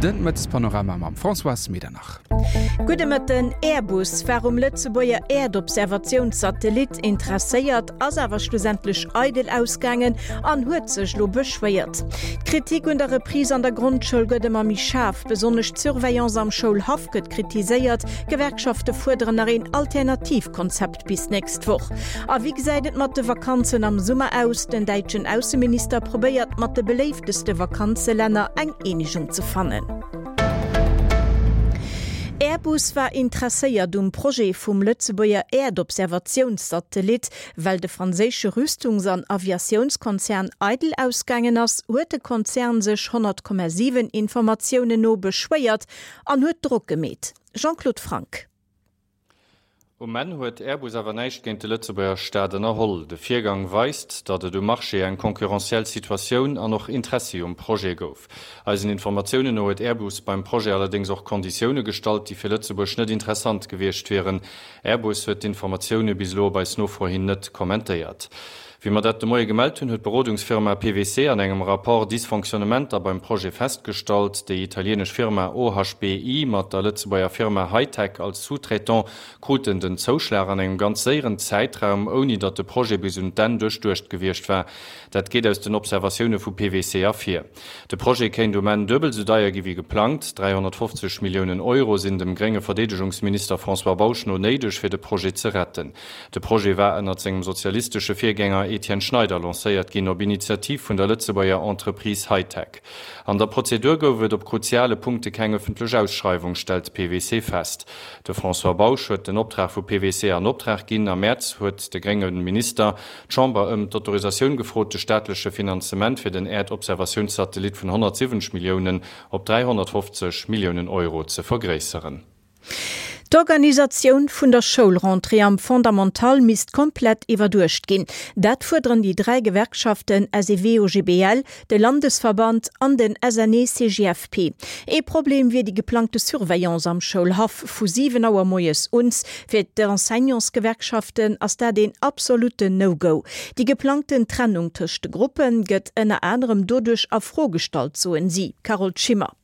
De Mëttespanorama mam Françoise Medernach. Gudde Mëtten. Airbus war um Lëtzebuerger Äerdobservatiounssatellit interesséiert, ass awer schlussendlech eidel ausgaangen an huet sech elo beschwéiert. D'Kritik un der Reprise an der Grondschoul gëtt ëmmer méi schaarf. Besonnesch d'Surveillance am Schoulhaff gëtt kritiséiert. D'Gewerkschafte fuerderen nach een Alternativkonzept bis nächst Woch. A wéi gesäit et mat de Vakanzen am Summer aus? Den däitschen Ausseminister probéiert mat de beléifteste Vakanzelänner eng Eenegung ze fannen. Airbus war interesséiert um Projet vum Lëtzebuerger Äerdobservatiounssatellit. Well de franséische Rüstungs an Aviatiounskonzern eidel ausgaangen ass, huet de Konzern sech 100,7 Informatiounen no beschwéiert an huet Drock gemeet. Jean-Claude Franck. Um Enn huet Airbus awer näischt géint de Lëtzebuerger Staat ënnerholl. De Virgang weist, datt et um Marché eng concurrentiell Situatioun an och Interessi um Projet gouf. Eisen Informatiounen no huet Airbus beim Projet allerdéngs och Konditioune gestallt, déi fir Lëtzebuerg net interessant gewiescht wieren. Airbus huet d'Informatioune bis elo op eis Nofro hin net kommentéiert. Wéi mer dat de Moie gemellt hunn, huet d'Berodungsfirma PwC an engem Rapport Dysfonctionnementer beim Projet festgestallt. Déi italienesch Firma OHBI mat der Lëtzebuerger Firma Hightech als Sous-traitant kruten den Zouschlag an engem ganz séieren Zäitraum, ouni datt de Projet bis un d'Enn duerchduecht gewiescht war. Dat geet aus den Observatioune vu PwC ervir. De Projet kéint um Enn duebel esou deier gi wéi geplangt. 350 Milliounen Euro sinn dem grénge Verdeedegungsminister François Bausch no néideg, fir de Projet ze retten. De Projet war ënnert sengem sozialistesche Virgänger Etienne Schneider lancéiert ginn, op Initiativ vun der Lëtzebuerger Entreprise Hightech. An der Prozedur gouf et op kruziale Punkte keng ëffentlech Ausschreiwung, stellt PwC fest. De François Bausch huet den Optrag vu PwC an Optrag ginn. Am Mäerz huet de grénge Minister d'Chamber ëm d'Autorisatioun gefrot, de staatleche Finanzement fir den Äerdobservatiounssatellit vun 170 Milliounen op 350 Milliounen Euro ze vergréisseren. D'Organisatioun vun der Schoulrentrée am Fondamental misst komplett iwwerduecht ginn. Dat fuerderen déi 3 Gewerkschaften SEW-OGBL, de Landesverband an den SNE-CGFP. Ee Problem wier déi geplangte Surveillance am Schoulhaff vu 7 Auer moies uns. Fir d'Enseignantsgewerkschaften ass dat een absolutten No-Go. Déi geplangten Trennung tëscht de Gruppe gëtt ënner anerem doduerch a Fro gestallt, soen si. Carole Schimmer.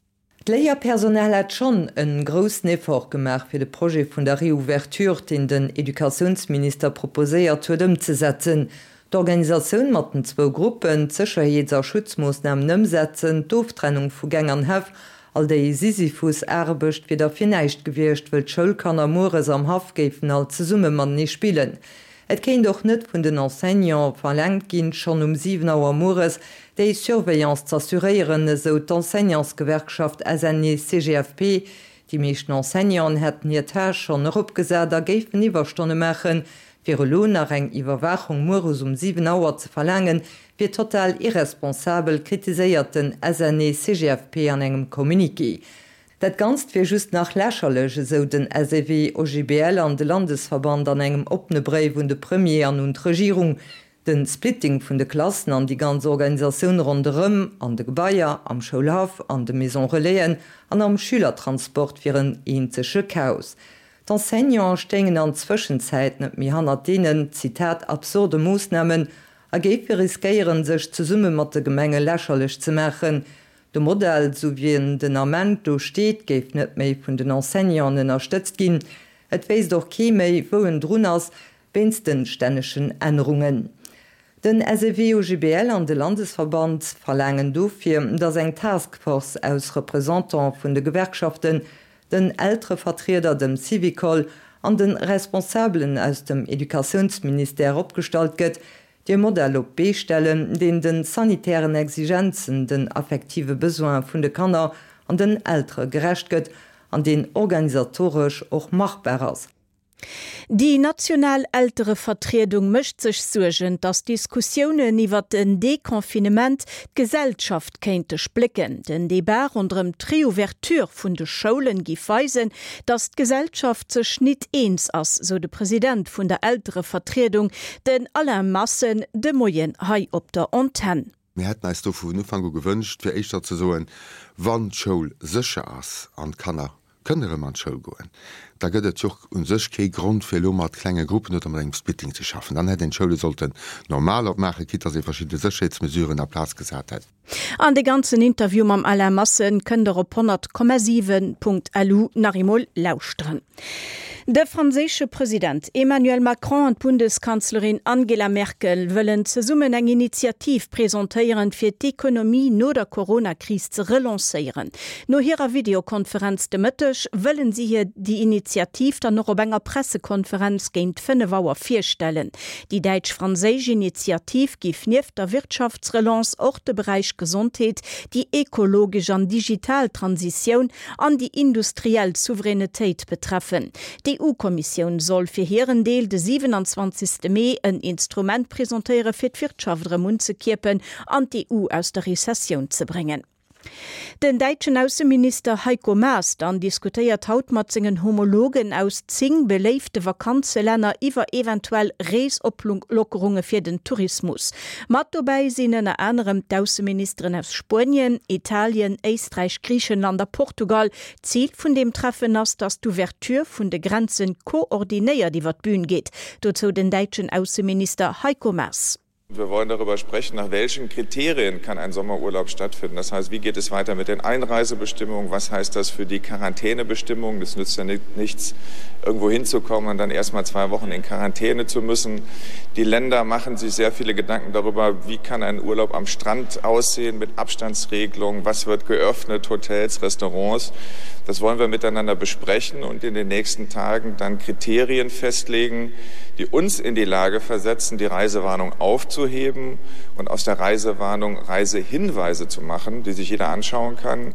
D'Léierpersonal hätt schonn en groussen Effort gemaach, fir de Projet vun der Reouverture, deen den Educatiounsminister proposéiert huet, ëmzesetzen. D'Organisatioun mat den zwou Gruppen, d'Sécherheets a Schutzmoossnamen ëmsetzen, d'Oftrennung vu Gäng an Häff, all déi Sisyphus-Aarbecht wier da fir näischt gewiescht, wëll d'Schoulkanner mueres am Haff géifen all zesumme matenee spillen. Et kéint och net vun den Enseignante verlaangt ginn, schonn um 7 Auer mueres déi Surveillance z'assuréieren, esou d'Enseignantsgewerkschaft SNE-CGFP. Déi meeschten Enseignanten hätten hir Tâche schonn eropgesat a géifen Iwwerstonne maachen. Fir elo nach eng Iwwerwaachung mueres um 7 Auer ze verlaangen, wier total irresponsabel, kritiséiert den SNE-CGFP an engem Communiqué. Dat Ganzt wier just nach lächerlech, esou den SEW, OGBL an de Landesverband an engem oppene Bréif un de Premier an un d'Regierung. De Splitting vun de Klassen an déi ganz Organisatioun ronderëm, an de Gebaier, am Schoulhaff, an de Maison Relaisen an am Schülertransport wier en eenzege Chaos. D'Enseignanten stéingen an Zwëschenzäit net méi hannert deenen, Zitat, absurde Moossnamen a géife riskéieren, sech zesumme mat de Gemenge lächerlech ze maachen. De Modell, sou wéi en den Ament do steet, géif net méi vun den Enseignanten ënnerstëtzt ginn. Et wéisst och kee méi, wou en drun ass, wéinst de stännegen Ännerungen. Den SEW-OGBL an de Landesverband verlaangen dofir, datt eng Task Force aus Representant vun de Gewerkschaften, den Elterevertrieder, dem Syvicol an de Responsabelen aus dem Educatiounsministère opgestallt gëtt, déi e Modell op d'Bee stellen, deen de sanitären Exigenzen, den affektive Besoine vun de Kanner an den Eltere gerecht gëtt an deen organisatoresch och machbar ass. Déi national Elterevertriedung mécht sech Suergen, datt d'Diskussiounen iwwer den Deconfinement d'Gesellschaft kéinte splécken. Den Debat ronderëm d'Reouverture vun de Schoulen giff weisen, datt d'Gesellschaft sech nit eens ass, sou de President vun der Elterevertriedung, Den Alain Massen de Moien hei op der Antenn. Mir hätten eis do vun Ufank u gewënscht, fir éischter ze soen, wann d'Schoul sécher ass an d'Kanner kënne rëm an d'Schoul goen, Da gëtt et jo och u sech kee Grond fir elo mat klenge Gruppen oder mat engem Splitting ze schaffen. Dann hätt een d'Schoule sollten normal opmaachen, quitte dass ee verschidde Sécherheetsmesuren a Plaz gesat hätt. An de ganzen Interview mam Alain Massen kënnt der op 100,7.lu nach eemol lauschteren. De franséische President Emmanuel Macron an d'Bundeskanzlerin Angela Merkel wëllen zesummen eng Initiativ presentéieren, fir d'Ekonomie no der Corona-Kris ze relancéieren. No hirer Videokonferenz de Mëtteg wëllen si hir déi Initiativ dann och op enger Pressekonferenz géint 5 Auer virstellen. Déi däitsch-franséisch Initiativ giff nieft der Wirtschaftsrelance och de Beräich Gesondheet, déi ekologesch an digital Transitioun an déi industriell Souveränetéit betreffen. D'EU-Kommissioun soll fir hiren Deel de 27. Mee en Instrument presentéiere fir d'Wirtschaft erëm unzekierpen an d'EU aus der Rezessioun ze bréngen. Den däitschen Ausseminister Heiko Maas dann diskutéiert haut mat sengen Homologen aus 10 beléifte Vakanzelänner iwwer eventuell Reesoplockerunge fir den Tourismus. Mat dobäi sinn ënner anerem d'Ausseministeren aus Spuenien, Italien, Éisträich, Griichenland a Portugal. Zil vun deem Treffen ass, datt d'Ouverture vun de Grenzen koordinéiert iwwer d'Bün geet. Dozou den däitschen Ausseminister Heiko Maas. Wir wollen darüber sprechen, nach welchen Kriterien kann ein Sommerurlaub stattfinden. Das heißt, wie geht es weiter mit den Einreisebestimmungen? Was heißt das für die Quarantänebestimmungen? Das nützt ja nichts, irgendwo hinzukommen und dann erst mal zwei Wochen in Quarantäne zu müssen. Die Länder machen sich sehr viele Gedanken darüber, wie kann ein Urlaub am Strand aussehen mit Abstandsregelungen, was wird geöffnet, Hotels, Restaurants. Das wollen wir miteinander besprechen und in den nächsten Tagen dann Kriterien festlegen, die uns in die Lage versetzen, die Reisewarnung aufzuheben und aus der Reisewarnung Reisehinweise zu machen, die sich jeder anschauen kann.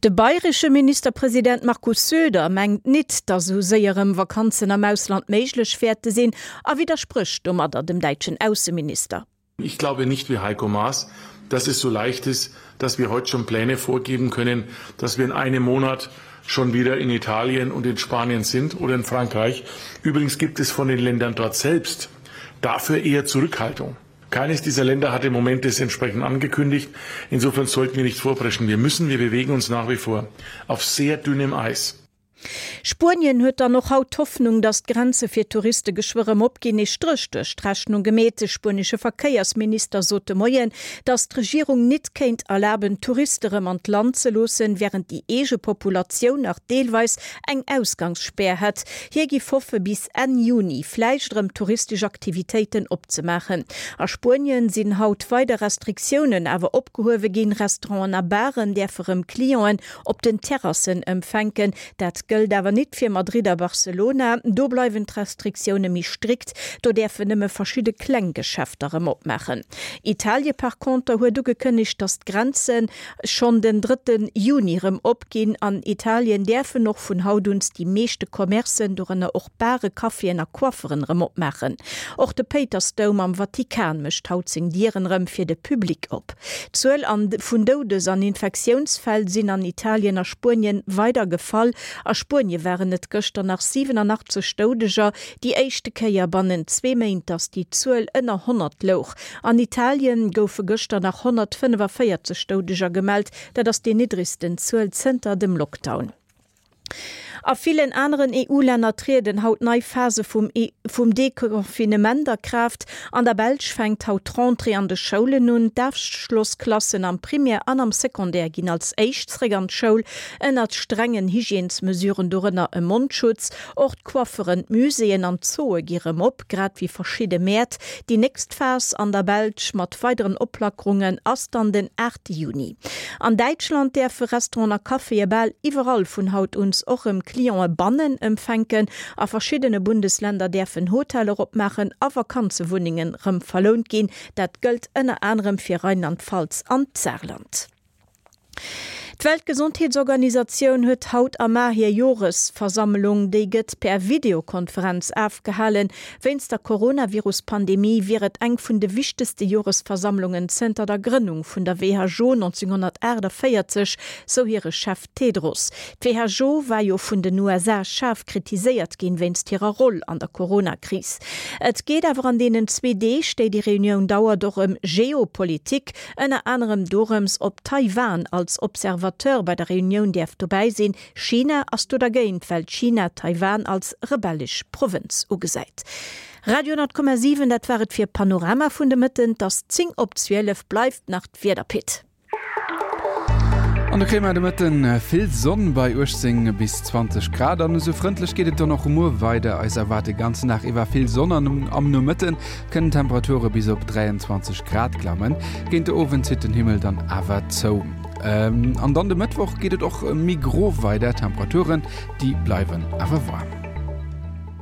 De bayresche Ministerpresident Markus Söder mengt nit, datt esou séier erëm Vakanzen am Ausland méiglech wäerte sinn a widdersprécht domadder dem däitschen Ausseminister. Ich glaube nicht wie Heiko Maas, dass es so leicht ist, dass wir heute schon Pläne vorgeben können, dass wir in einem Monat schon wieder in Italien und in Spanien sind oder in Frankreich. Übrigens gibt es von den Ländern dort selbst dafür eher Zurückhaltung. Keines dieser Länder hat im Moment es entsprechend angekündigt. Insofern sollten wir nicht vorpreschen. Wir müssen, wir bewegen uns nach wie vor auf sehr dünnem Eis. Spuenien huet dann och haut d'Hoffnung, datt d'Grenze fir Touriste geschwë rëm opginn. Ee Stréch duerch d'Rechnung gemeet. De spuenesche Verkéiersminister sot de Moien, datt d'Regierung nit kéint erlaben, Touriste rëm an d'Land ze loossen, wärend déi eege Populatioun nach deelweis eng Ausgangsspär hätt. Hie giff hoffe bis Enn Juni vläicht erëm touristesch Aktivitéiten opzemaachen. A Spuenien sinn haut weider Restriktiounen awer opgehuewe ginn. Restauranten a Baren däerfe rëm Clienten op den Terrassen empfänken. Dat gëllt awer nit fir Madrid a Barcelona. Do bleiwen d'Restriktioune méi strikt, do däerfen nëmme verschidde kleng Geschäfter erëm opmaachen. Italie par conter huet ugekënnegt, datt d'Grenze schonn den drëtte Juni erëm opginn. An Italien däerfen och vun haut uns déi meeschte Commercen, dorënner och Bare, Caféen a Coifferen erëm opmaachen. Och de Péitersdoum am Vatikan mécht haut seng Dieren erëm fir de Public op. D'Zuel an vun Doudes an Infektiounsfäll sinn an Italien a Spuenien weider gefall. A Spuenie waren et gëschter nach 87 Doudeger, déi éischte Kéier bannent zwee Méint, datt déi Zuel ënner 100 louch. An Italien goufe gëschter nach 145 Doudeger gemellt, dat ass déi niddregsten Zuel zënter dem Lockdown. A villen aneren EU-Länner trieden haut nei Phase vum vum Deconfinement a Kraaft. An der Belsch fänkt haut d'Rentrée an de Schoulen un. D'Afschlossklassen am Primaire an am Secondaire ginn als éischt zréck an d'Schoul, ënnert strengen Hygiènesmesuren, dorënner e Mondschutz. Och d'Coifferen, d'Muséeën an d'Zooe gi rëm op, grad wéi verschidde Mäert. Déi nächst Phas an der Belsch mat weideren Oplackerungen ass dann den 8 Juni. An Däitschland däerfe Restauranten a Caféë bal iwwerall vun haut uns och rëm Clientë bannen empfänken. A verschiddene Bundesländer däerfen Hoteller opmaachen a Vakanzewunnengen rëm verlount ginn. Dat gëllt ënner anerem fir Rheinland-Pfalz an d'Saarland. D'Weltgesondheetsorganisatioun huet haut a mar hir Joresversammlung. Déi gëtt per Videokonferenz afgehalen. Wéinst der Coronavirus-Pandemie wier et eng vun de wichtegste Joresversammlungen zënter der Grënnung vun der WHO 1948, sou hire Chef Tedros. D'WHO war jo vun den USA schaarf kritiséiert ginn wéinst hirer Roll an der Corona-Kris. Et geet awer an deenen zwee Deeg, déi déi Reunioun dauert, och ëm Geopolitik, ënner anerem dorëms, ob Taiwan als Observateur. Observateur bei der Reunioun däerf dobäi sinn. China ass do dergéint, well China Taiwan als rebellesch Provënz ugesäit. Radio 10,7, dat war et fir Panorama vun de Mëtten. 't ass 10 op 12, bleift nach d'Wieder, Pit. An do kréie mer de Mëtten vill Sonn bei 18 bis 20 Grad an esou frëndlech geet et dann och muer weider. Eis erwaart de ganzen Dag iwwer vill Sonn an am Nomëtte kënnen d'Temperature bis op 23 Grad klammen. Géint de Owend zitt den Himmel dann awer zou. An dann de Mëttwoch geet et och méi gro weider, d'Temperaturen déi bleiwen awer waarm.